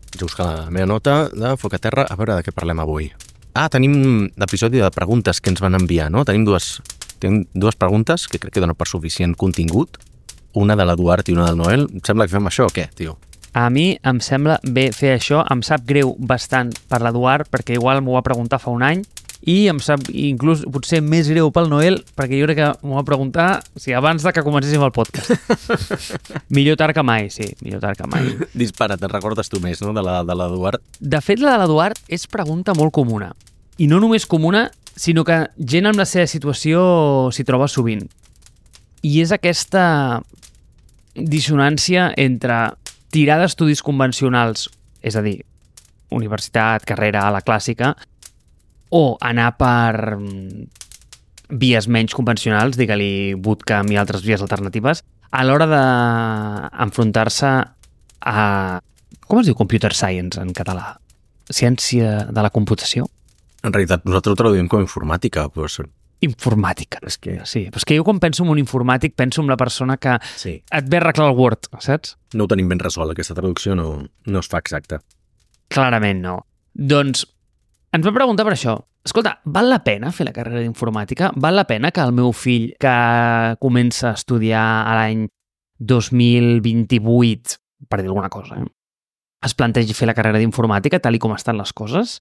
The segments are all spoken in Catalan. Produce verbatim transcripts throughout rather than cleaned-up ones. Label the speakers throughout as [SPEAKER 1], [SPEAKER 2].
[SPEAKER 1] Vaig a buscar la meva nota de Foc a Terra, a veure de què parlem avui. Ah, tenim l'episodi de preguntes que ens van enviar, no? Tenim dues, tenim dues preguntes que crec que donen per suficient contingut. Una de l'Eduard i una del Noel. Em sembla que fem això o què, tio?
[SPEAKER 2] A mi em sembla bé fer això. Em sap greu bastant per l'Eduard, perquè igual m'ho va preguntar fa un any, i em sap inclús potser més greu pel Noel, perquè jo crec que m'ho va preguntar o sigui, abans de que comencéssim el podcast. Millor tard que mai, sí, millor tard que mai.
[SPEAKER 1] Dispara, te'n recordes tu més, no?, de la de l'Eduard.
[SPEAKER 2] De fet, la de l'Eduard és pregunta molt comuna. I no només comuna, sinó que gent amb la seva situació s'hi troba sovint. I és aquesta dissonància entre tirar d'estudis convencionals, és a dir, universitat, carrera, a la clàssica, o anar per vies menys convencionals, digue-li bootcamp i altres vies alternatives, a l'hora d'enfrontar-se a... Com es diu computer science en català? Ciència de la computació?
[SPEAKER 1] En realitat, nosaltres ho traduïm com informàtica, però...
[SPEAKER 2] Informàtica.
[SPEAKER 1] És que...
[SPEAKER 2] Sí, però és que jo quan penso en un informàtic penso en la persona que
[SPEAKER 1] sí.
[SPEAKER 2] et ve a arreglar el Word, saps?
[SPEAKER 1] No ho tenim ben resolt, aquesta traducció no, no es fa exacta.
[SPEAKER 2] Clarament no. Doncs ens va preguntar per això. Escolta, val la pena fer la carrera d'informàtica? Val la pena que el meu fill, que comença a estudiar a l'any dos mil vint-i-vuit, per dir alguna cosa, eh? es plantegi fer la carrera d'informàtica tal i com estan les coses?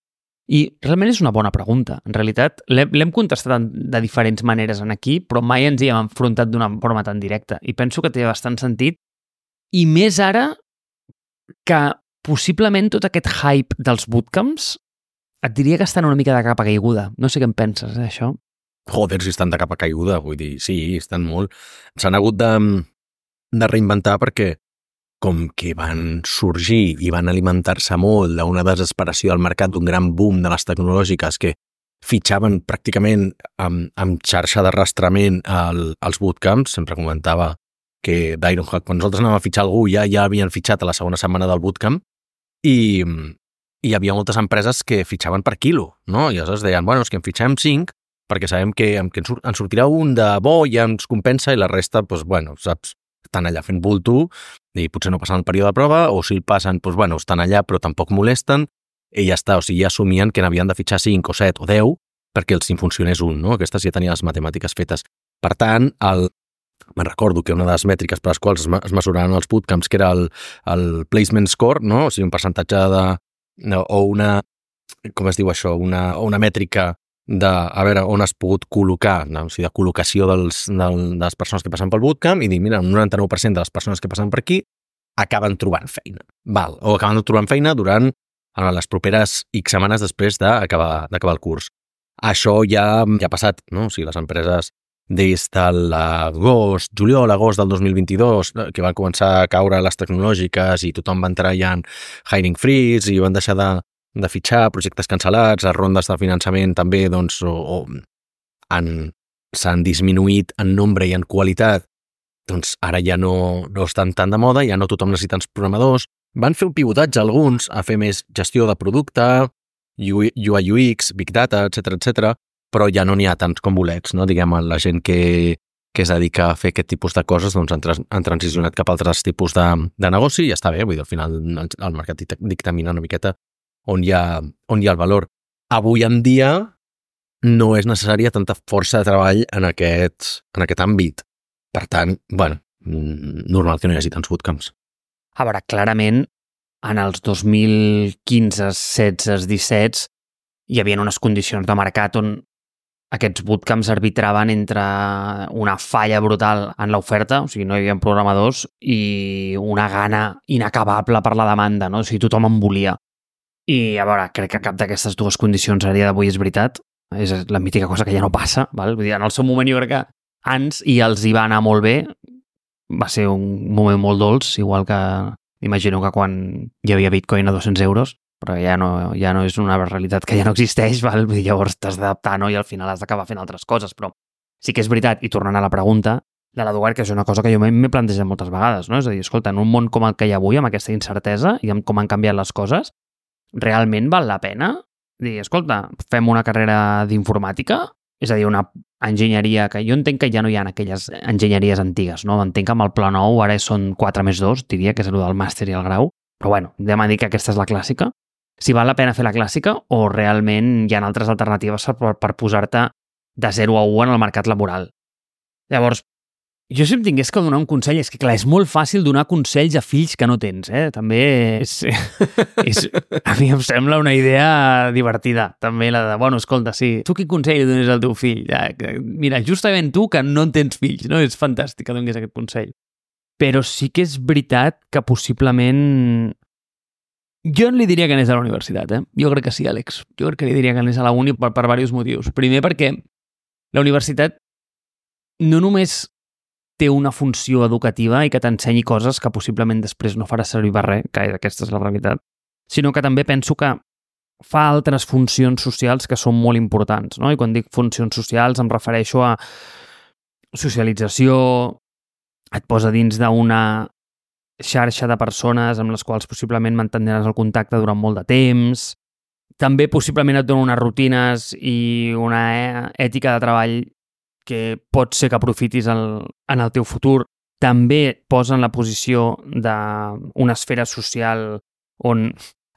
[SPEAKER 2] I realment és una bona pregunta. En realitat, l'hem contestat de diferents maneres en aquí, però mai ens hi hem enfrontat d'una forma tan directa. I penso que té bastant sentit. I més ara que possiblement tot aquest hype dels bootcamps et diria que estan una mica de capa caiguda. No sé què en penses, eh, això?
[SPEAKER 1] Joder, si estan de capa caiguda, vull dir, sí, estan molt... S'han hagut de, de reinventar perquè com que van sorgir i van alimentar-se molt d'una desesperació al mercat, d'un gran boom de les tecnològiques que fitxaven pràcticament amb, amb xarxa d'arrastrament al, als bootcamps. Sempre comentava que d'Ironhack, quan nosaltres anàvem a fitxar algú, ja ja havien fitxat a la segona setmana del bootcamp i... i hi havia moltes empreses que fitxaven per quilo, no? I aleshores deien, bueno, és que en fitxem cinc perquè sabem que, que en sortirà un de bo i ja ens compensa i la resta, doncs, bueno, saps, estan allà fent bulto i potser no passen el període de prova, o si el passen, doncs, bueno, estan allà però tampoc molesten i ja està, o sigui, ja assumien que n'havien de fitxar cinc o set o deu perquè els en funcionés un, no? Aquestes ja tenien les matemàtiques fetes. Per tant, el... me'n recordo que una de les mètriques per les quals es mesuraven els bootcamps, que era el, el placement score, no? O sigui, un percentatge de No, o una, com es diu això, una, o una mètrica de a veure on has pogut col·locar, no? O sigui, de col·locació dels, del, de les persones que passen pel bootcamp i dir, mira, un noranta-nou per cent de les persones que passen per aquí acaben trobant feina. Val, o acaben trobant feina durant les properes X setmanes després d'acabar d'acabar el curs. Això ja, ja ha passat, no? O sigui, les empreses des de l'agost, juliol, agost del dos mil vint-i-dos, que van començar a caure les tecnològiques i tothom va entrar ja en hiring freeze i van deixar de, de fitxar, projectes cancel·lats, les rondes de finançament també doncs, o, o han, s'han disminuït en nombre i en qualitat, doncs ara ja no, no estan tan de moda, ja no tothom necessita els programadors. Van fer un pivotatge alguns a fer més gestió de producte, U I U X, Big Data, etcètera, etcètera, però ja no n'hi ha tants com bolets, no? Diguem, la gent que, que es dedica a fer aquest tipus de coses doncs han, trans, han transicionat cap a altres tipus de, de negoci i ja està bé, vull dir, al final el, el mercat dictamina una miqueta on hi, ha, on hi ha el valor. Avui en dia no és necessària tanta força de treball en aquest, en aquest àmbit. Per tant, bueno, normal que no hi hagi tants bootcamps.
[SPEAKER 2] A veure, clarament, en els dos mil quinze, setze, disset hi havia unes condicions de mercat on aquests bootcamps arbitraven entre una falla brutal en l'oferta, o sigui, no hi havia programadors, i una gana inacabable per la demanda, no? O sigui, tothom en volia. I, a veure, crec que cap d'aquestes dues condicions a dia d'avui és veritat. És la mítica cosa que ja no passa, val? Vull dir, en el seu moment jo crec que ans i els hi va anar molt bé. Va ser un moment molt dolç, igual que imagino que quan hi havia Bitcoin a dos-cents euros, però ja no, ja no és una realitat que ja no existeix, val? Vull dir, llavors t'has d'adaptar, no? I al final has d'acabar fent altres coses, però sí que és veritat, i tornant a la pregunta de l'Eduard, que és una cosa que jo m'he plantejat moltes vegades, no? És a dir, escolta, en un món com el que hi ha avui, amb aquesta incertesa i amb com han canviat les coses, realment val la pena dir, escolta, fem una carrera d'informàtica? És a dir, una enginyeria que jo entenc que ja no hi ha aquelles enginyeries antigues, no? Entenc que amb el pla nou ara són quatre més dos, diria que és el del màster i el grau, Però bueno, anem a dir que aquesta és la clàssica. Si val la pena fer la clàssica o realment hi ha altres alternatives per, per posar-te de zero a u en el mercat laboral. Llavors, jo si em tingués que donar un consell, és que clar, és molt fàcil donar consells a fills que no tens, eh? També és, és, a mi em sembla una idea divertida, també la de, bueno, escolta, sí, tu quin consell li dones al teu fill? Ja, mira, justament tu que no en tens fills, no? És fantàstic que donis aquest consell. Però sí que és veritat que possiblement... Jo li diria que anés a la universitat, eh? Jo crec que sí, Àlex. Jo crec que li diria que anés a la uni per, per diversos motius. Primer perquè la universitat no només té una funció educativa i que t'ensenyi coses que possiblement després no faràs servir per res, que aquesta és la realitat, sinó que també penso que fa altres funcions socials que són molt importants, no? I quan dic funcions socials em refereixo a socialització, et posa dins d'una xarxa de persones amb les quals possiblement mantindràs el contacte durant molt de temps, també possiblement et dona unes rutines i una ètica de treball que pot ser que aprofitis el, en el teu futur, també et posa en la posició d'una esfera social on...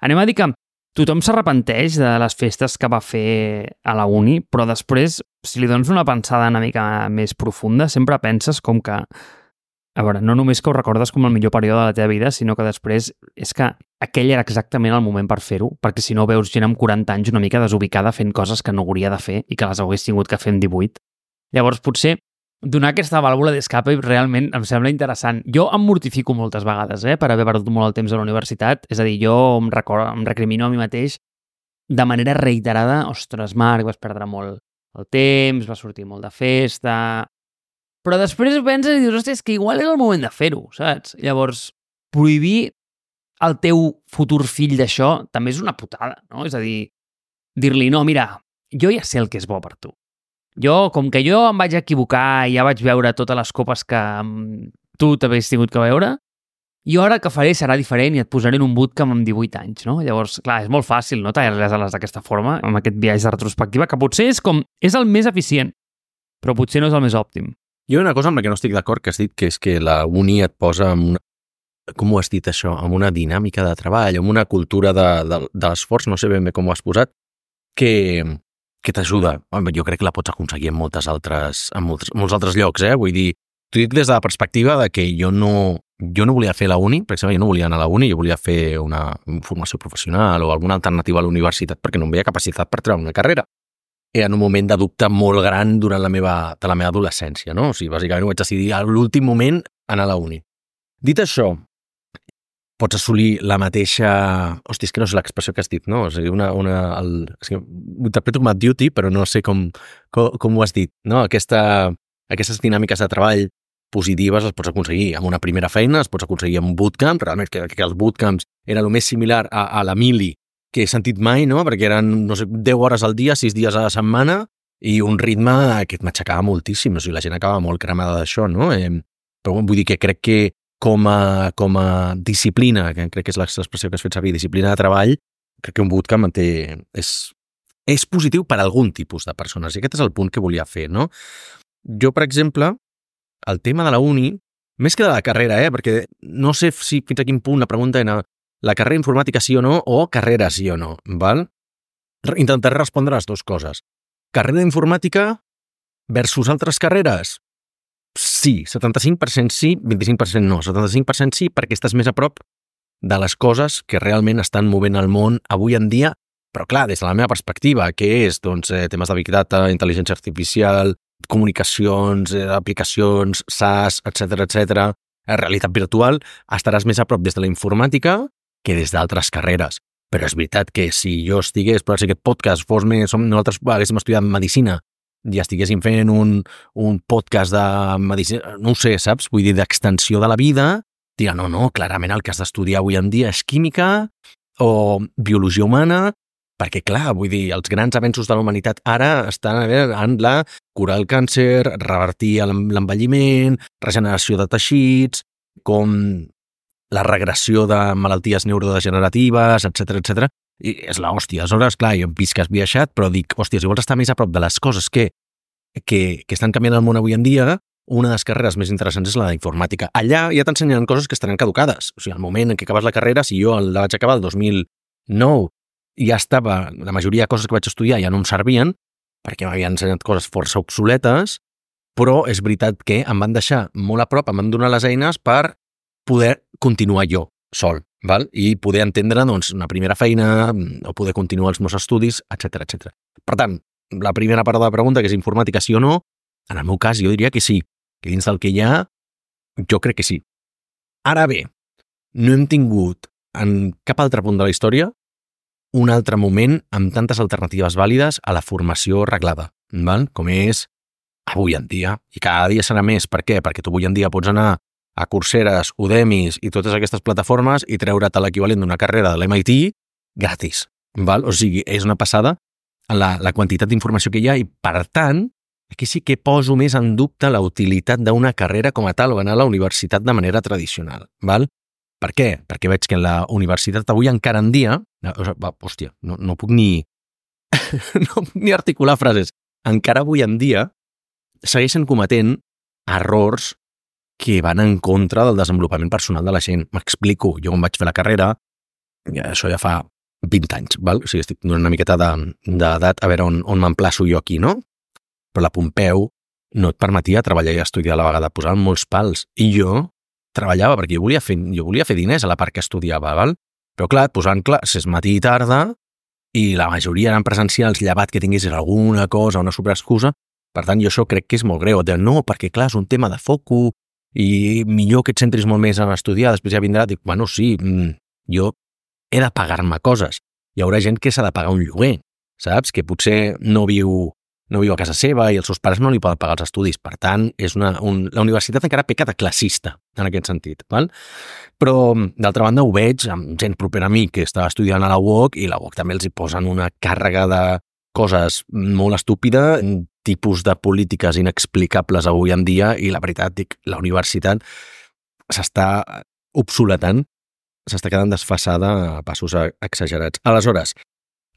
[SPEAKER 2] Anem a dir que tothom s'arrepenteix de les festes que va fer a la uni, però després, si li dones una pensada una mica més profunda, sempre penses com que... A veure, no només que ho recordes com el millor període de la teva vida, sinó que després és que aquell era exactament el moment per fer-ho, perquè si no veus gent amb quaranta anys una mica desubicada fent coses que no hauria de fer i que les hagués tingut que fer amb divuit. Llavors, potser, donar aquesta vàlvula d'escape realment em sembla interessant. Jo em mortifico moltes vegades, eh, per haver perdut molt el temps a la universitat. És a dir, jo em, recordo, em recrimino a mi mateix de manera reiterada. Ostres, Marc, vas perdre molt el temps, vas sortir molt de festa... Però després ho penses i dius, hòstia, és que igual és el moment de fer-ho, saps? Llavors, prohibir al teu futur fill d'això també és una putada, no? És a dir, dir-li, no, mira, jo ja sé el que és bo per tu. Jo, com que jo em vaig equivocar i ja vaig veure totes les copes que tu t'havies tingut que veure, jo ara el que faré serà diferent i et posaré en un bootcamp amb divuit anys, no? Llavors, clar, és molt fàcil, no?, tallar les ales d'aquesta forma, amb aquest viatge de retrospectiva, que potser és com, és el més eficient, però potser no és el més òptim.
[SPEAKER 1] Jo hi ha una cosa amb la que no estic d'acord, que has dit que és que la uni et posa en una... Com ho has dit això? Amb una dinàmica de treball, amb una cultura de, de, de l'esforç, no sé ben bé com ho has posat, que, que t'ajuda. Jo crec que la pots aconseguir en moltes altres, en molts, molts altres llocs, eh? Vull dir, t'ho dic des de la perspectiva de que jo no, jo no volia fer la uni, per exemple, jo no volia anar a la uni, jo volia fer una formació professional o alguna alternativa a la universitat perquè no em veia capacitat per treure una carrera. Era en un moment de dubte molt gran durant la meva, de la meva adolescència, no? O sigui, bàsicament ho vaig decidir a l'últim moment anar a la uni. Dit això, pots assolir la mateixa... Hòstia, és que no sé l'expressió que has dit, no? O sigui, una... una el... és que ho interpreto com a duty, però no sé com, com, com ho has dit, no? Aquesta, aquestes dinàmiques de treball positives les pots aconseguir amb una primera feina, les pots aconseguir amb un bootcamp, realment que, que els bootcamps eren el més similar a, a la mili que he sentit mai, no? Perquè eren, no sé, deu hores al dia, sis dies a la setmana, i un ritme que m'aixecava moltíssim. O sigui, la gent acaba molt cremada d'això, no? Eh, però vull dir que crec que com a, com a disciplina, que crec que és l'expressió que has fet servir, disciplina de treball, crec que un bootcamp té, és, és positiu per a algun tipus de persones, i aquest és el punt que volia fer, no? Jo, per exemple, el tema de la uni, més que de la carrera, eh? Perquè no sé si fins a quin punt la pregunta era la carrera informàtica sí o no, o carrera sí o no, val? Intentaré respondre les dues coses. Carrera informàtica versus altres carreres? Sí, setanta-cinc per cent sí, vint-i-cinc per cent no. setanta-cinc per cent sí perquè estàs més a prop de les coses que realment estan movent el món avui en dia, però clar, des de la meva perspectiva, que és doncs, eh, temes de Big Data, intel·ligència artificial, comunicacions, eh, aplicacions, SaaS, etcètera, etcètera, realitat virtual, estaràs més a prop des de la informàtica que des d'altres carreres. Però és veritat que si jo estigués, per si aquest podcast fos més, som, nosaltres haguéssim estudiat medicina i estiguéssim fent un, un podcast de medicina, no ho sé, saps? Vull dir, d'extensió de la vida, dirà, no, no, clarament el que has d'estudiar avui en dia és química o biologia humana, perquè, clar, vull dir, els grans avenços de la humanitat ara estan en la curar el càncer, revertir l'envelliment, regeneració de teixits, com la regressió de malalties neurodegeneratives, etcètera, etcètera, i és l'hòstia. Aleshores, clar, jo hem vist que has viatjat, però dic, hòstia, si vols estar més a prop de les coses que, que, que estan canviant el món avui en dia, una de les carreres més interessants és la d'informàtica. Allà ja t'ensenyaran coses que estaran caducades. O sigui, al moment en què acabes la carrera, si jo la vaig acabar el dos mil nou i ja estava, la majoria de coses que vaig estudiar ja no em servien, perquè m'havien ensenyat coses força obsoletes, però és veritat que em van deixar molt a prop, em van donar les eines per poder continuar jo sol, val? I poder entendre doncs, una primera feina o poder continuar els meus estudis, etcètera, etcètera. Per tant, la primera part de la pregunta, que és informàtica sí o no, en el meu cas jo diria que sí, que dins del que hi ha, jo crec que sí. Ara bé, no hem tingut en cap altre punt de la història un altre moment amb tantes alternatives vàlides a la formació reglada, val? Com és avui en dia. I cada dia serà més. Per què? Perquè tu avui en dia pots anar a Coursera, Udemy i totes aquestes plataformes i treure't l'equivalent d'una carrera de l'M I T gratis. Val? O sigui, és una passada la, la quantitat d'informació que hi ha i, per tant, aquí sí que poso més en dubte la utilitat d'una carrera com a tal o anar a la universitat de manera tradicional. Val? Per què? Perquè veig que en la universitat avui encara en dia... Hòstia, no, no puc ni... no puc ni articular frases. Encara avui en dia segueixen cometent errors que van en contra del desenvolupament personal de la gent. M'explico. Jo quan vaig fer la carrera, ja, això ja fa vint anys, val? O sigui, estic donant una miqueta d'edat a veure on, on m'emplaço jo aquí, no? Però la Pompeu no et permetia treballar i estudiar a la vegada, posaven molts pals. I jo treballava perquè jo volia fer, jo volia fer diners a la part que estudiava, val? Però clar, et posaven classes matí i tarda i la majoria eren presencials, llevat que tinguessis alguna cosa, una superexcusa. Per tant, jo això crec que és molt greu. De, no, perquè clar, és un tema de foco i millor que et centris molt més en estudiar, després ja vindrà, dic, bueno, sí, jo he de pagar-me coses. Hi haurà gent que s'ha de pagar un lloguer, saps? Que potser no viu no viu a casa seva i els seus pares no li poden pagar els estudis. Per tant, és una, un, la universitat encara peca de classista, en aquest sentit. Val? Però, d'altra banda, ho veig amb gent propera a mi que estava estudiant a la U O C i la U O C també els hi posen una càrrega de coses molt estúpida, tipus de polítiques inexplicables avui en dia i la veritat, dic, la universitat s'està obsoletant, s'està quedant desfasada a passos exagerats. Aleshores,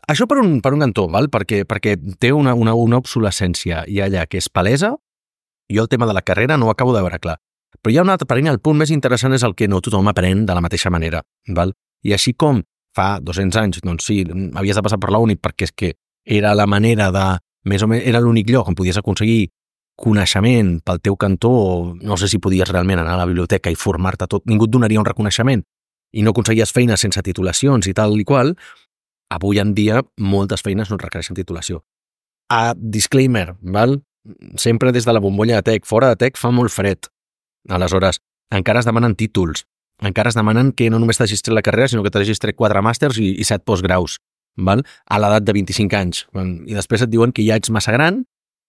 [SPEAKER 1] això per un, per un cantó, val? Perquè, perquè té una, una, una obsolescència i allà que és palesa. Jo el tema de la carrera no ho acabo de veure clar. Però hi ha un altre parell, el punt més interessant és el que no tothom aprèn de la mateixa manera. Val? I així com fa dos-cents anys, doncs sí, havies de passar per la uni perquè és que era la manera de... Més o menys era l'únic lloc on podies aconseguir coneixement pel teu cantó, no sé si podies realment anar a la biblioteca i formar-te tot, ningú et donaria un reconeixement i no aconseguies feines sense titulacions i tal i qual. Avui en dia, moltes feines no requereixen titulació. A disclaimer, val? Sempre des de la bombolla de tech. Fora de tech fa molt fred. Aleshores, encara es demanen títols. Encara es demanen que no només t'hagis tret la carrera, sinó que t'hagis tret quatre màsters i, i set postgraus, val? A l'edat de vint-i-cinc anys. I després et diuen que ja ets massa gran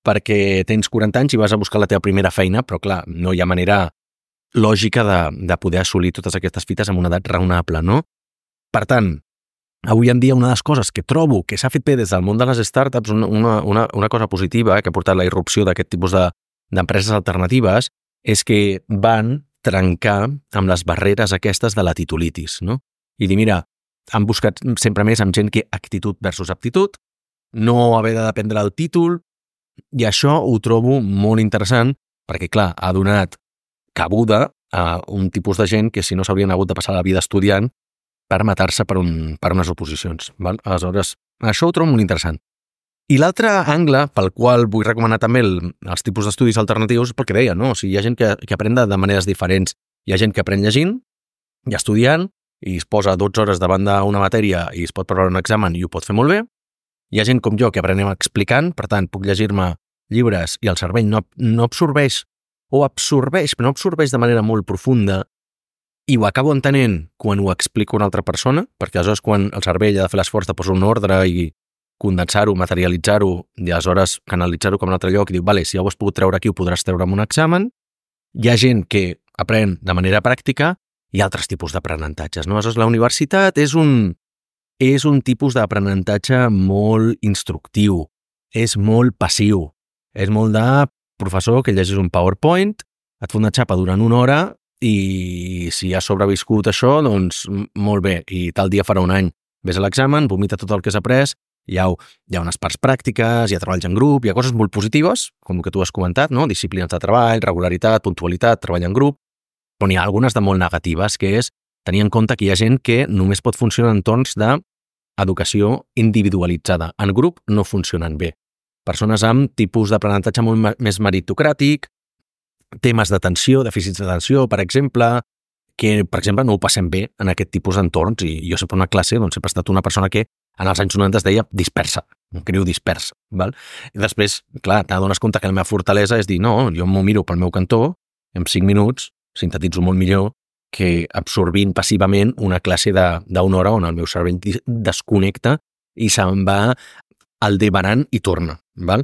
[SPEAKER 1] perquè tens quaranta anys i vas a buscar la teva primera feina, però clar, no hi ha manera lògica de, de poder assolir totes aquestes fites amb una edat raonable, no? Per tant, avui en dia una de les coses que trobo que s'ha fet bé des del món de les startups, una, una, una cosa positiva que ha portat la irrupció d'aquest tipus de, d'empreses alternatives, és que van trencar amb les barreres aquestes de la titulitis, no? I dir, mira, han buscat sempre més amb gent que actitud versus aptitud, no haver de dependre del títol, i això ho trobo molt interessant perquè, clar, ha donat cabuda a un tipus de gent que si no s'haurien hagut de passar la vida estudiant per matar-se per, un, per unes oposicions. Val? Aleshores, això ho trobo molt interessant. I l'altre angle pel qual vull recomanar també el, els tipus d'estudis alternatius és pel que deia, no? O sigui, hi ha gent que, que aprèn de, de maneres diferents. Hi ha gent que aprèn llegint i estudiant i es posa dotze hores davant d'una matèria i es pot preparar un examen i ho pot fer molt bé. Hi ha gent com jo que aprenem explicant, per tant, puc llegir-me llibres i el cervell no, no absorbeix o absorbeix, però no absorbeix de manera molt profunda i ho acabo entenent quan ho explico a una altra persona, perquè aleshores quan el cervell ha de fer l'esforç de posar un ordre i condensar-ho, materialitzar-ho, i aleshores canalitzar-ho com a un altre lloc i diu, vale, si ja ho has pogut treure aquí, ho podràs treure amb un examen. Hi ha gent que aprèn de manera pràctica i altres tipus d'aprenentatges, no? Aleshores, la universitat és un, és un tipus d'aprenentatge molt instructiu, és molt passiu, és molt de professor que llegis un PowerPoint, et fa una xapa durant una hora i si has sobreviscut això, doncs molt bé, i tal dia farà un any. Ves a l'examen, vomita tot el que has après hi ha, hi ha unes parts pràctiques, hi ha treballs en grup, hi ha coses molt positives, com el que tu has comentat, no? Disciplines de treball, regularitat, puntualitat, treball en grup, però n'hi ha algunes de molt negatives, que és tenir en compte que hi ha gent que només pot funcionar en entorns d'educació individualitzada. En grup no funcionen bé. Persones amb tipus d'aprenentatge molt més meritocràtic, temes d'atenció, dèficits d'atenció, per exemple, que, per exemple, no ho passem bé en aquest tipus d'entorns, i jo sempre una classe doncs, sempre he estat una persona que en els anys noranta es deia dispersa, un criu dispersa. Val? I després, clar, t'adones compte que la meva fortalesa és dir, no, jo m'ho miro pel meu cantó, en cinc minuts sintetitzo molt millor que absorbint passivament una classe d'una hora on el meu cervell desconnecta i se'n va al devanant i torna. Val?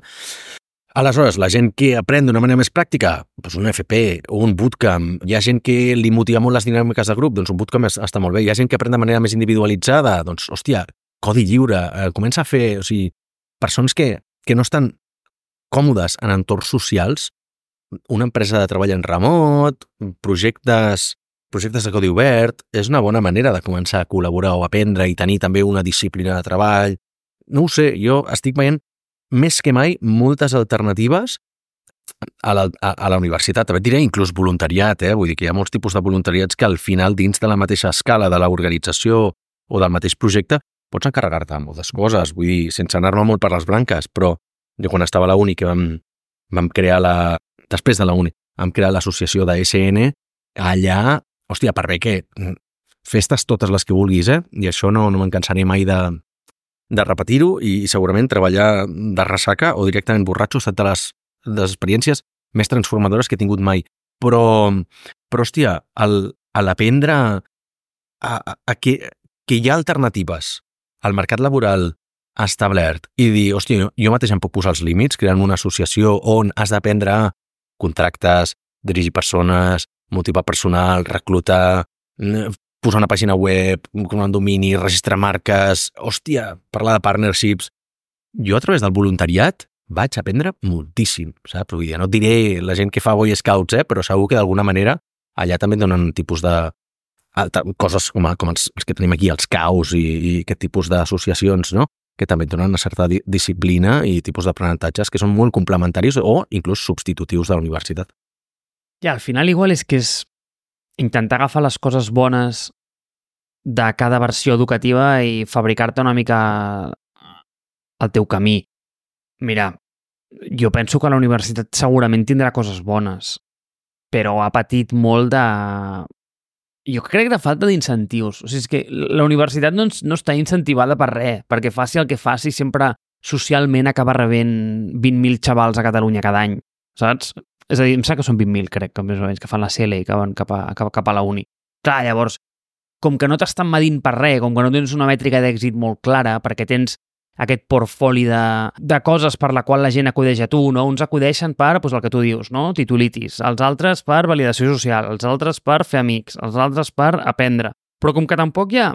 [SPEAKER 1] Aleshores, la gent que aprèn d'una manera més pràctica, doncs un F P o un bootcamp, hi ha gent que li motiva molt les dinàmiques de grup, doncs un bootcamp està molt bé, hi ha gent que aprèn de manera més individualitzada, doncs, hòstia, codi lliure, eh, comença a fer, o sigui, persones que, que no estan còmodes en entorns socials, una empresa de treball en remot, projectes, projectes de codi obert, és una bona manera de començar a col·laborar o aprendre i tenir també una disciplina de treball. No ho sé, jo estic veient més que mai moltes alternatives a la, a, a la universitat. També et diré inclús voluntariat, eh? Vull dir que hi ha molts tipus de voluntariats que al final, dins de la mateixa escala de l'organització o del mateix projecte, pots encarregar-te de moltes coses. Vull dir, sense anar-me molt per les branques, però jo quan estava a la uni que vam, vam crear la... Després de la uni, vam crear l'associació de S N, allà, hòstia, per bé que festes totes les que vulguis, eh? I això no, no me'n cansaré mai de, de repetir-ho i segurament treballar de ressaca o directament borratxo ha estat de les, de les experiències més transformadores que he tingut mai. Però, però hòstia, el, a l'aprendre a, a, a que, que hi ha alternatives al mercat laboral establert i dir, hòstia, jo mateix em puc posar els límits creant una associació on has d'aprendre a contractes, dirigir persones, motivar personal, reclutar, posar una pàgina web, un domini, registrar marques, hòstia, parlar de partnerships. Jo a través del voluntariat vaig aprendre moltíssim, saps? Vull dir, no et diré la gent que fa Boy Scouts, eh? Però segur que d'alguna manera allà també donen un tipus de alta, coses com, com els, els que tenim aquí, els caus i, i aquest tipus d'associacions, no? Que també donen una certa di disciplina i tipus d'aprenentatges que són molt complementaris o inclús substitutius de la universitat.
[SPEAKER 2] Ja, al final igual és que és intentar agafar les coses bones de cada versió educativa i fabricar-te una mica el teu camí. Mira, jo penso que la universitat segurament tindrà coses bones, però ha patit molt de... Jo crec de falta d'incentius. O sigui, és que la universitat no, no està incentivada per res, perquè faci el que faci sempre socialment acaba rebent vint mil xavals a Catalunya cada any, saps? És a dir, em sembla que són vint mil, crec, que més o menys, que fan la C L I, que van cap a, cap, cap a la uni. Clar, llavors, com que no t'estan medint per res, com que no tens una mètrica d'èxit molt clara, perquè tens aquest portfoli de, de coses per la qual la gent acudeix a tu, no? Uns acudeixen per, doncs el que tu dius, no? Titulitis, els altres per validació social, els altres per fer amics, els altres per aprendre. Però com que tampoc hi ha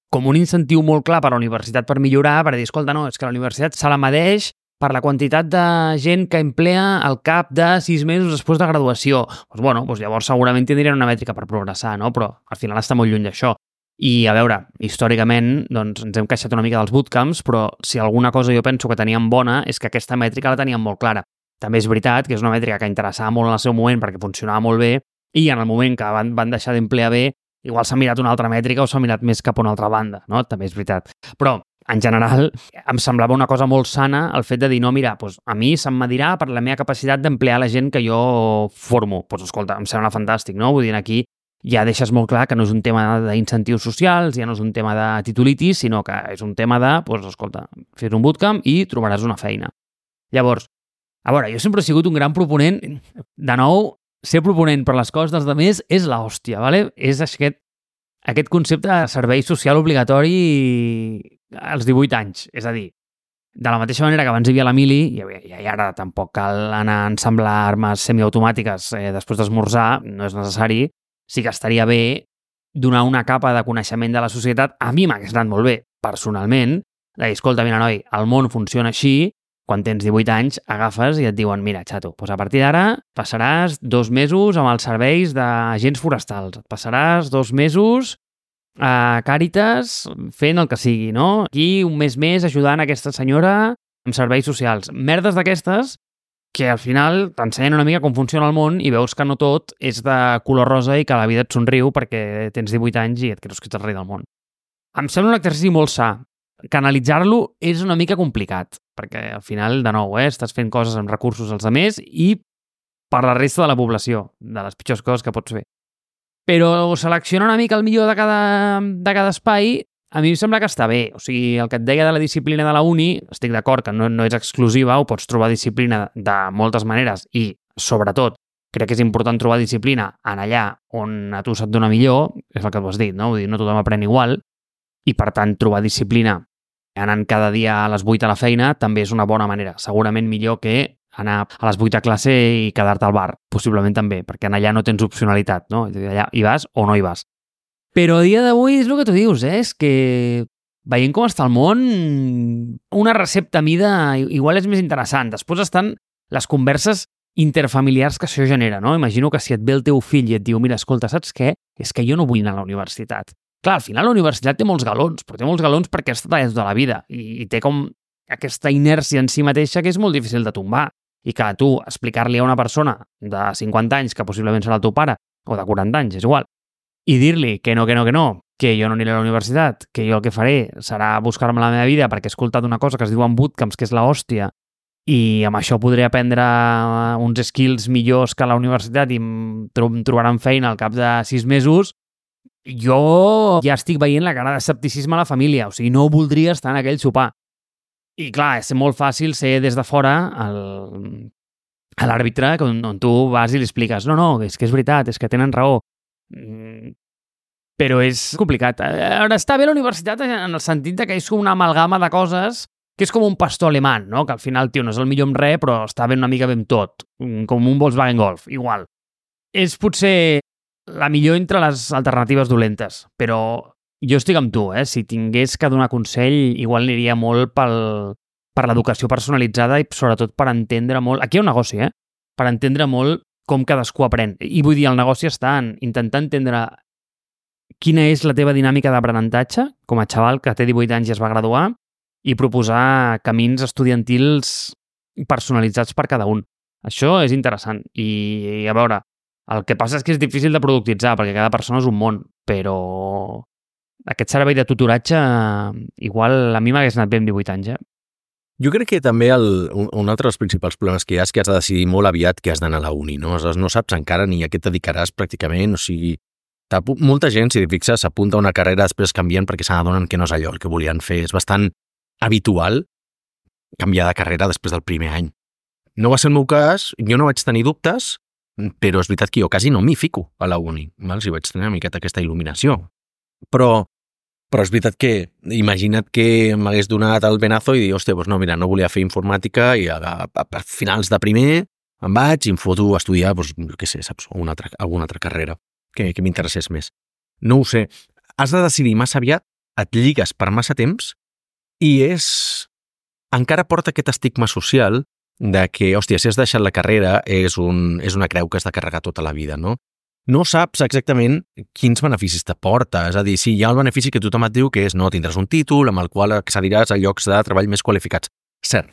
[SPEAKER 2] com un incentiu molt clar per a la universitat per millorar, per dir, escolta, no, és que la universitat se la medeix per la quantitat de gent que emplea al cap de sis mesos després de graduació. Doncs, bueno, doncs llavors segurament tindrien una mètrica per progressar, no? Però al final està molt lluny d'això. I, a veure, històricament doncs, ens hem queixat una mica dels bootcamps, però si alguna cosa jo penso que teníem bona és que aquesta mètrica la teníem molt clara. També és veritat que és una mètrica que interessava molt en el seu moment perquè funcionava molt bé i en el moment que van, van deixar d'emplear bé, igual s'ha mirat una altra mètrica o s'ha mirat més cap a una altra banda, no? També és veritat. Però, en general, em semblava una cosa molt sana el fet de dir, no, mira, doncs a mi se'm medirà per la meva capacitat d'emplear la gent que jo formo. Doncs escolta, em sembla fantàstic, no? Vull dir, aquí ja deixes molt clar que no és un tema d'incentius socials, ja no és un tema de titulitis, sinó que és un tema de, doncs, escolta, fes un bootcamp i trobaràs una feina. Llavors, a veure, jo sempre he sigut un gran proponent, de nou, ser proponent per les coses dels altres és l'hòstia, ¿vale? És aquest, aquest concepte de servei social obligatori als divuit anys. És a dir, de la mateixa manera que abans hi havia la mili, i, i ara tampoc cal anar a ensamblar armes semiautomàtiques eh, després d'esmorzar, no és necessari, sí que estaria bé donar una capa de coneixement de la societat. A mi m'hagués anat molt bé, personalment, de dir, escolta, mira, noi, el món funciona així, quan tens divuit anys, agafes i et diuen, mira, xato, doncs a partir d'ara passaràs dos mesos amb els serveis d'agents forestals, et passaràs dos mesos a Càritas fent el que sigui, no? Aquí un mes més ajudant aquesta senyora amb serveis socials. Merdes d'aquestes que al final t'ensenyen una mica com funciona el món i veus que no tot és de color rosa i que la vida et somriu perquè tens divuit anys i et creus que ets el rei del món. Em sembla un exercici molt sa. Canalitzar-lo és una mica complicat, perquè al final, de nou, eh, estàs fent coses amb recursos als altres i per la resta de la població, de les pitjors coses que pots fer. Però seleccionar una mica el millor de cada, de cada espai, a mi em sembla que està bé. O sigui, el que et deia de la disciplina de la uni, estic d'acord que no, no és exclusiva, ho pots trobar disciplina de moltes maneres i, sobretot, crec que és important trobar disciplina en allà on a tu se't dona millor, és el que tu has dit, no? Vull dir, no tothom aprèn igual, i per tant trobar disciplina anant cada dia a les vuit a la feina també és una bona manera. Segurament millor que anar a les vuit a classe i quedar-te al bar, possiblement també, perquè en allà no tens opcionalitat, no? Allà hi vas o no hi vas. Però a dia d'avui és el que tu dius, eh? És que veient com està el món, una recepta a mida igual és més interessant. Després estan les converses interfamiliars que això genera, no? Imagino que si et ve el teu fill i et diu, mira, escolta, saps què? És que jo no vull anar a la universitat. Clar, al final la universitat té molts galons, però té molts galons perquè has estat allà tota la vida i, i té com aquesta inèrcia en si mateixa que és molt difícil de tombar. I que tu explicar-li a una persona de cinquanta anys, que possiblement serà el teu pare, o de quaranta anys, és igual, i dir-li que no, que no, que no, que jo no aniré a la universitat, que jo el que faré serà buscar-me la meva vida perquè he escoltat una cosa que es diu en bootcamps, que és la hòstia, i amb això podré aprendre uns skills millors que a la universitat i em trobaran feina al cap de sis mesos, jo ja estic veient la cara d'escepticisme a la família, o sigui, no voldria estar en aquell sopar. I clar, és molt fàcil ser des de fora el, a l'àrbitre on, on tu vas i li expliques no, no, és que és veritat, és que tenen raó. Mm, però és complicat. Ara està bé la universitat en el sentit que és una amalgama de coses que és com un pastor alemany, no? Que al final, tio, no és el millor en res, però està ben una mica ben tot, com un Volkswagen Golf, igual. És potser la millor entre les alternatives dolentes, però jo estic amb tu, eh? Si tingués que donar consell, igual aniria molt pel, per l'educació personalitzada i sobretot per entendre molt... Aquí hi ha un negoci, eh? Per entendre molt com cadascú aprèn. I vull dir, el negoci està en intentar entendre quina és la teva dinàmica d'aprenentatge com a xaval que té divuit anys i es va graduar i proposar camins estudiantils personalitzats per cada un. Això és interessant. I, a veure, el que passa és que és difícil de productitzar perquè cada persona és un món, però aquest servei de tutoratge igual a mi m'hagués anat bé amb divuit anys, eh?
[SPEAKER 1] Jo crec que també el, un, un altre dels principals problemes que hi ha és que has de decidir molt aviat que has d'anar a la uni, no? Aleshores, no saps encara ni a què et dedicaràs pràcticament, o sigui, molta gent, si et fixes, s'apunta a una carrera després canvien perquè se n'adonen que no és allò el que volien fer. És bastant habitual canviar de carrera després del primer any. No va ser el meu cas, jo no vaig tenir dubtes, però és veritat que jo quasi no m'hi fico a la uni, val? Si vaig tenir una miqueta aquesta il·luminació. Però, però és veritat que imagina't que m'hagués donat el benazo i dir, hòstia, doncs no, mira, no volia fer informàtica i a, a, a finals de primer em vaig i em foto a estudiar, doncs, què sé, saps, una altra, alguna altra carrera que, que m'interessés més. No ho sé. Has de decidir massa aviat, et lligues per massa temps i és... encara porta aquest estigma social de que, hòstia, si has deixat la carrera és, un, és una creu que has de carregar tota la vida, no? No saps exactament quins beneficis t'aporta. És a dir, si hi ha el benefici que tothom et diu que és no, tindràs un títol amb el qual accediràs a llocs de treball més qualificats. Cert,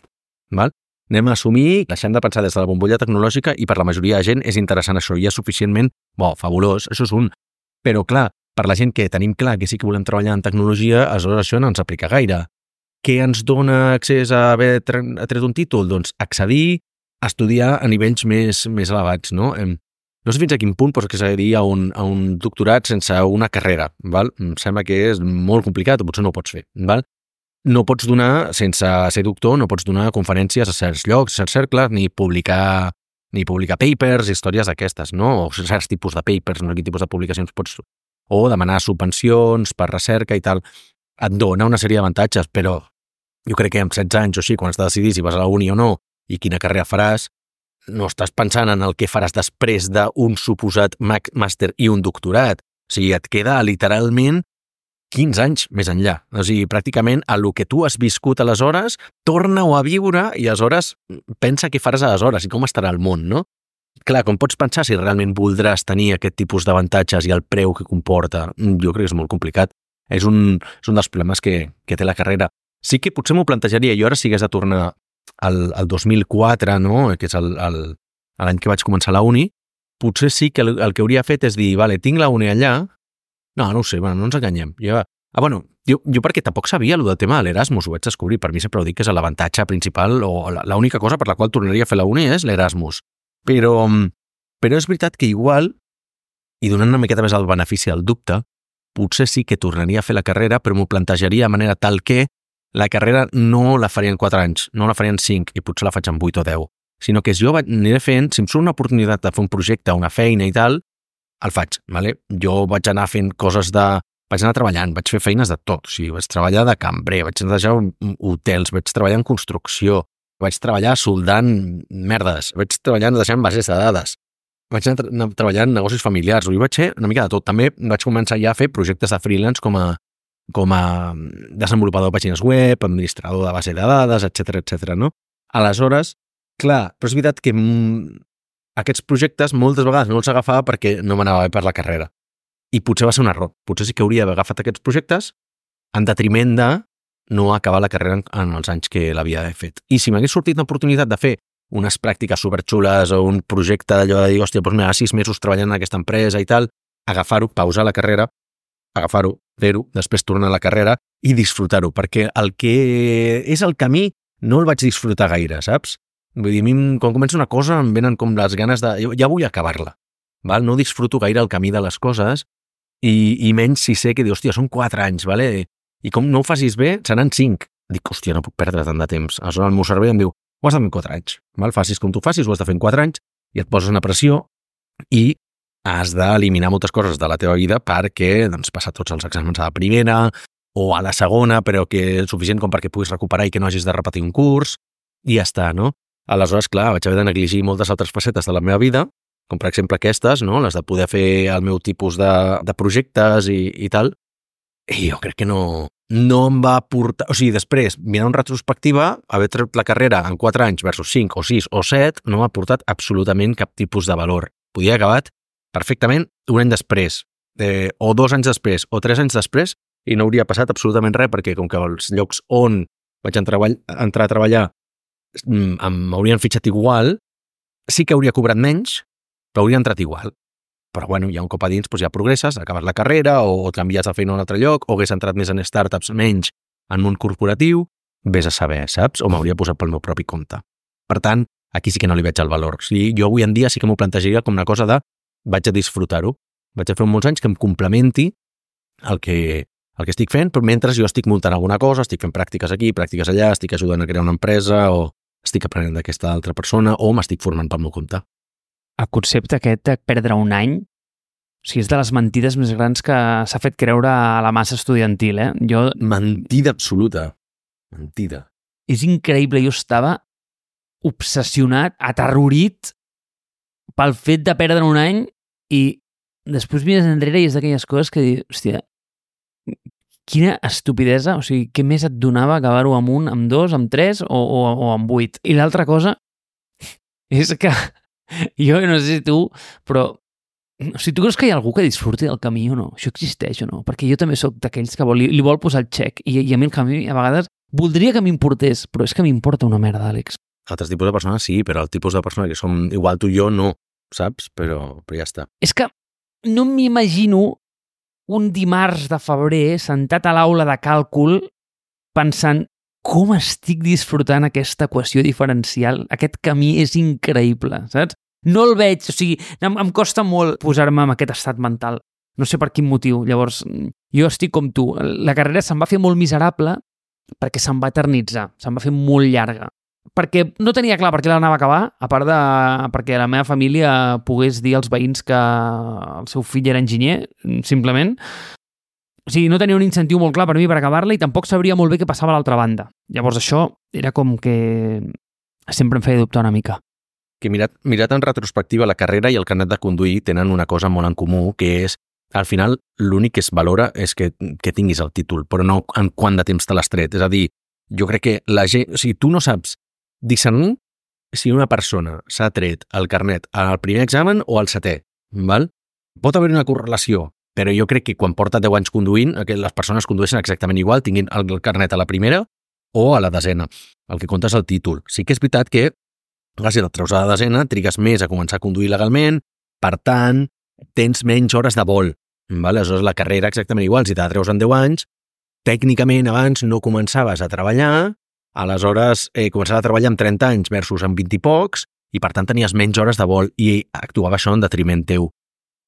[SPEAKER 1] val? Anem a assumir, deixem de pensar des de la bombolla tecnològica i per la majoria de gent és interessant això i és suficientment, bo, fabulós, això és un. Però clar, per la gent que tenim clar que sí que volem treballar en tecnologia, aleshores això no ens aplica gaire. Què ens dona accés a haver tret un títol? Doncs accedir a estudiar a nivells més, més elevats, no? No sé fins a quin punt pots accedir a un, a un doctorat sense una carrera, val? Em sembla que és molt complicat, o potser no ho pots fer, val? No pots donar, sense ser doctor, no pots donar conferències a certs llocs, a certs cercles, ni publicar, ni publicar papers, històries d'aquestes, no? O certs tipus de papers, no? Quin tipus de publicacions pots... O demanar subvencions per recerca i tal. Et dona una sèrie d'avantatges, però jo crec que amb setze anys o així, quan has de decidir si vas a la uni o no i quina carrera faràs, no estàs pensant en el que faràs després d'un suposat màster i un doctorat. O sigui, et queda literalment quinze anys més enllà. O sigui, pràcticament a lo que tu has viscut aleshores, torna-ho a viure i aleshores pensa què faràs aleshores i com estarà el món, no? clar, com pots pensar si realment voldràs tenir aquest tipus d'avantatges i el preu que comporta? Jo crec que és molt complicat. És un, és un dels problemes que, que té la carrera. Sí que potser m'ho plantejaria, jo ara si hagués de tornar al, al dos mil quatre, no? Que és el, el, l'any que vaig començar la uni, potser sí que el, el que hauria fet és dir, vale, tinc la uni allà, no, no ho sé, bueno, no ens enganyem. Jo, ah, bueno, jo, jo perquè tampoc sabia el del tema de l'Erasmus, ho vaig descobrir, per mi sempre ho dic que és l'avantatge principal o l'única cosa per la qual tornaria a fer la uni és l'Erasmus. Però, però és veritat que igual, i donant una miqueta més el benefici del dubte, potser sí que tornaria a fer la carrera, però m'ho plantejaria de manera tal que la carrera no la faria en quatre anys, no la faria en cinc, i potser la faig en vuit o deu, sinó que jo aniré fent, si em surt una oportunitat de fer un projecte, una feina i tal, el faig, ¿vale? Jo vaig anar fent coses de... Vaig anar treballant, vaig fer feines de tot, o sigui, vaig treballar de cambrer, vaig netejar hotels, vaig treballar en construcció, vaig treballar soldant merdes, vaig treballar deixant bases de dades, vaig anar, anar treballant en negocis familiars, ho vaig fer una mica de tot. També vaig començar ja a fer projectes de freelance com a, com a desenvolupador de pàgines web, administrador de base de dades, etcètera, etcètera, no? Aleshores, clar, però és veritat que mm, aquests projectes moltes vegades no els agafava perquè no m'anava bé per la carrera. I potser va ser un error. Potser sí que hauria d'haver agafat aquests projectes en detriment de no acabar la carrera en, en els anys que l'havia fet. I si m'hagués sortit l'oportunitat de fer unes pràctiques superxules o un projecte d'allò de dir, hòstia, doncs mira, sis mesos treballant en aquesta empresa i tal, agafar-ho, pausar la carrera, agafar-ho, fer-ho, després tornar a la carrera i disfrutar-ho, perquè el que és el camí no el vaig disfrutar gaire, saps? Vull dir, a mi, quan començo una cosa, em venen com les ganes de... Ja vull acabar-la, val? No disfruto gaire el camí de les coses i, i menys si sé que dius, hòstia, són quatre anys, vale? I com no ho facis bé, seran cinc. Dic, hòstia, no puc perdre tant de temps. Aleshores el meu cervell em diu, ho has de fer en quatre anys, val? Facis com tu facis, ho has de fer en quatre anys i et poses una pressió i has d'eliminar moltes coses de la teva vida perquè doncs, passar tots els exàmens a la primera o a la segona, però que és suficient com perquè puguis recuperar i que no hagis de repetir un curs i ja està, no? Aleshores, clar, vaig haver de negligir moltes altres facetes de la meva vida, com per exemple aquestes, no? Les de poder fer el meu tipus de, de projectes i, i tal, i jo crec que no, no em va portar... O sigui, després, mirant en retrospectiva, haver tret la carrera en quatre anys versus cinc o sis o set no m'ha portat absolutament cap tipus de valor. Podia haver acabat perfectament un any després, eh, o dos anys després, o tres anys després, i no hauria passat absolutament res, perquè com que els llocs on vaig entrar, entrar a treballar m'haurien fitxat igual, sí que hauria cobrat menys, però hauria entrat igual. Però bueno, ja un cop a dins doncs ja progresses, acabes la carrera o canvies de feina a un altre lloc, o hagués entrat més en startups, menys en món corporatiu, vés a saber, saps? O m'hauria posat pel meu propi compte. Per tant, aquí sí que no li veig el valor. O sigui, jo avui en dia sí que m'ho plantejaria com una cosa de vaig a disfrutar-ho, vaig a fer molts anys que em complementi el que, el que estic fent, però mentre jo estic muntant alguna cosa, estic fent pràctiques aquí, pràctiques allà, estic ajudant a crear una empresa o estic aprenent d'aquesta altra persona o m'estic formant pel meu compte.
[SPEAKER 2] El concepte aquest de perdre un any, o sigui, és de les mentides més grans que s'ha fet creure a la massa estudiantil, eh? Jo...
[SPEAKER 1] Mentida absoluta. Mentida.
[SPEAKER 2] És increïble, jo estava obsessionat, aterrorit pel fet de perdre un any i després mires enrere i és d'aquelles coses que dius, hòstia, quina estupidesa, o sigui, què més et donava acabar-ho amb un, amb dos, amb tres o, o, o amb vuit? I l'altra cosa és que jo no sé si tu, però o sigui, tu creus que hi ha algú que disfruti del camí o no? Això existeix o no? Perquè jo també sóc d'aquells que vol, li, li vol posar el xec i, i a mi el camí a vegades voldria que m'importés, però és que m'importa una merda, Àlex.
[SPEAKER 1] Altres tipus de persones sí, però el tipus de persona que som igual tu i jo no, saps? Però, però ja està.
[SPEAKER 2] És que no m'imagino un dimarts de febrer sentat a l'aula de càlcul pensant com estic disfrutant aquesta equació diferencial. Aquest camí és increïble, saps? No el veig, o sigui, em, em costa molt posar-me en aquest estat mental. No sé per quin motiu. Llavors, jo estic com tu. La carrera se'm va fer molt miserable perquè se'm va eternitzar, se'm va fer molt llarga. Perquè no tenia clar per què l'anava a acabar, a part de perquè la meva família pogués dir als veïns que el seu fill era enginyer, simplement. O sigui, no tenia un incentiu molt clar per mi per acabar-la i tampoc sabria molt bé què passava a l'altra banda. Llavors això era com que sempre em feia dubtar una mica.
[SPEAKER 1] Que mirat, mirat en retrospectiva, la carrera i el carnet de conduir tenen una cosa molt en comú, que és, al final, l'únic que es valora és que, que tinguis el títol, però no en quant de temps te l'has tret. És a dir, jo crec que la gent... O sigui, tu no saps discernir si una persona s'ha tret el carnet al primer examen o al setè, val? Pot haver una correlació, però jo crec que quan porta deu anys conduint, que les persones condueixen exactament igual, tinguin el carnet a la primera o a la desena. El que compta és el títol. Sí que és veritat que, clar, si el treus a la desena, trigues més a començar a conduir legalment, per tant, tens menys hores de vol. Val? Aleshores, la carrera exactament igual. Si te la treus en deu anys, tècnicament abans no començaves a treballar, aleshores eh, començaves a treballar amb trenta anys versus amb vint i pocs, i per tant tenies menys hores de vol i actuava això en detriment teu.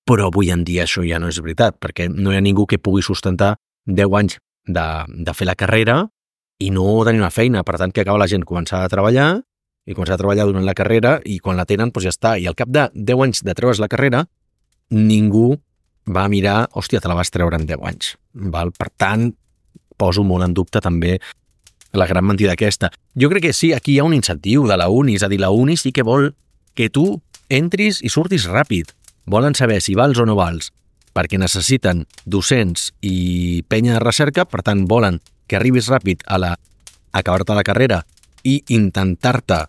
[SPEAKER 1] Però avui en dia això ja no és veritat, perquè no hi ha ningú que pugui sustentar deu anys de, de fer la carrera i no tenir una feina. Per tant, que acaba la gent començar a treballar i començar a treballar durant la carrera i quan la tenen, doncs ja està. I al cap de deu anys de treure's la carrera, ningú va mirar, hòstia, te la vas treure en deu anys. Val? Per tant, poso molt en dubte també la gran mentida aquesta. Jo crec que sí, aquí hi ha un incentiu de la uni, és a dir, la uni sí que vol que tu entris i surtis ràpid. Volen saber si vals o no vals, perquè necessiten docents i penya de recerca, per tant volen que arribis ràpid a la acabar-te la carrera i intentar-te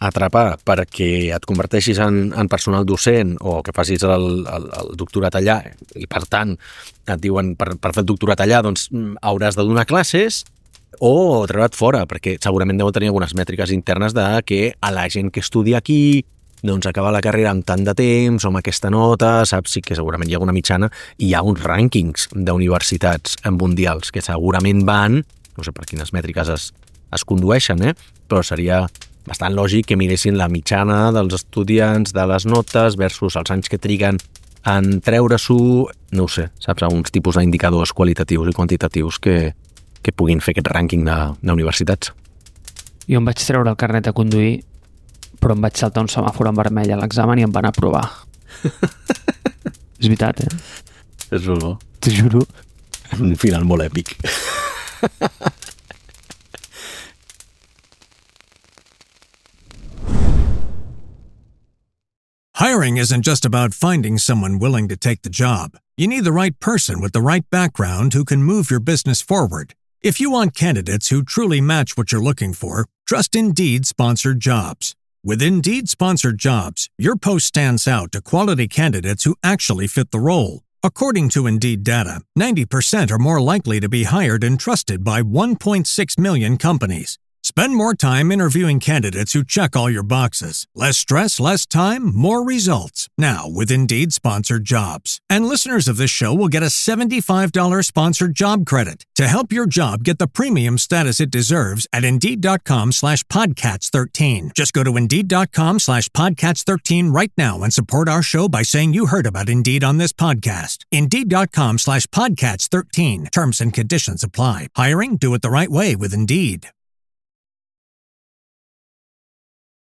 [SPEAKER 1] atrapar perquè et converteixis en, en personal docent o que facis el, el, el doctorat allà i per tant et diuen per, per fer el doctorat allà doncs hauràs de donar classes o treure't fora, perquè segurament deuen tenir algunes mètriques internes de que a la gent que estudia aquí doncs acaba la carrera amb tant de temps o amb aquesta nota, saps? Sí que segurament hi ha una mitjana i hi ha uns rànquings d'universitats mundials que segurament van, no sé per quines mètriques es, es condueixen, eh? Però seria bastant lògic que miressin la mitjana dels estudiants, de les notes versus els anys que triguen en treure-s'ho, no ho sé, saps? Uns tipus d'indicadors qualitatius i quantitatius que, que puguin fer aquest rànquing d'universitats.
[SPEAKER 2] Jo em vaig treure el carnet a conduir, però em vaig saltar un semàfor en vermell a l'examen i em van aprovar. És veritat, eh?
[SPEAKER 1] És molt bo.
[SPEAKER 2] T'ho juro.
[SPEAKER 1] Un final molt èpic.
[SPEAKER 3] Hiring isn't just about finding someone willing to take the job. You need the right person with the right background who can move your business forward. If you want candidates who truly match what you're looking for, trust Indeed Sponsored Jobs. With Indeed Sponsored Jobs, your post stands out to quality candidates who actually fit the role. According to Indeed data, ninety percent are more likely to be hired and trusted by one point six million companies. Spend more time interviewing candidates who check all your boxes. Less stress, less time, more results. Now with Indeed Sponsored Jobs. And listeners of this show will get a seventy-five dollars sponsored job credit to help your job get the premium status it deserves at Indeed.com slash Podcats 13. Just go to Indeed.com slash Podcats 13 right now and support our show by saying you heard about Indeed on this podcast. Indeed.com slash Podcats 13. Terms and conditions apply. Hiring? Do it the right way with Indeed.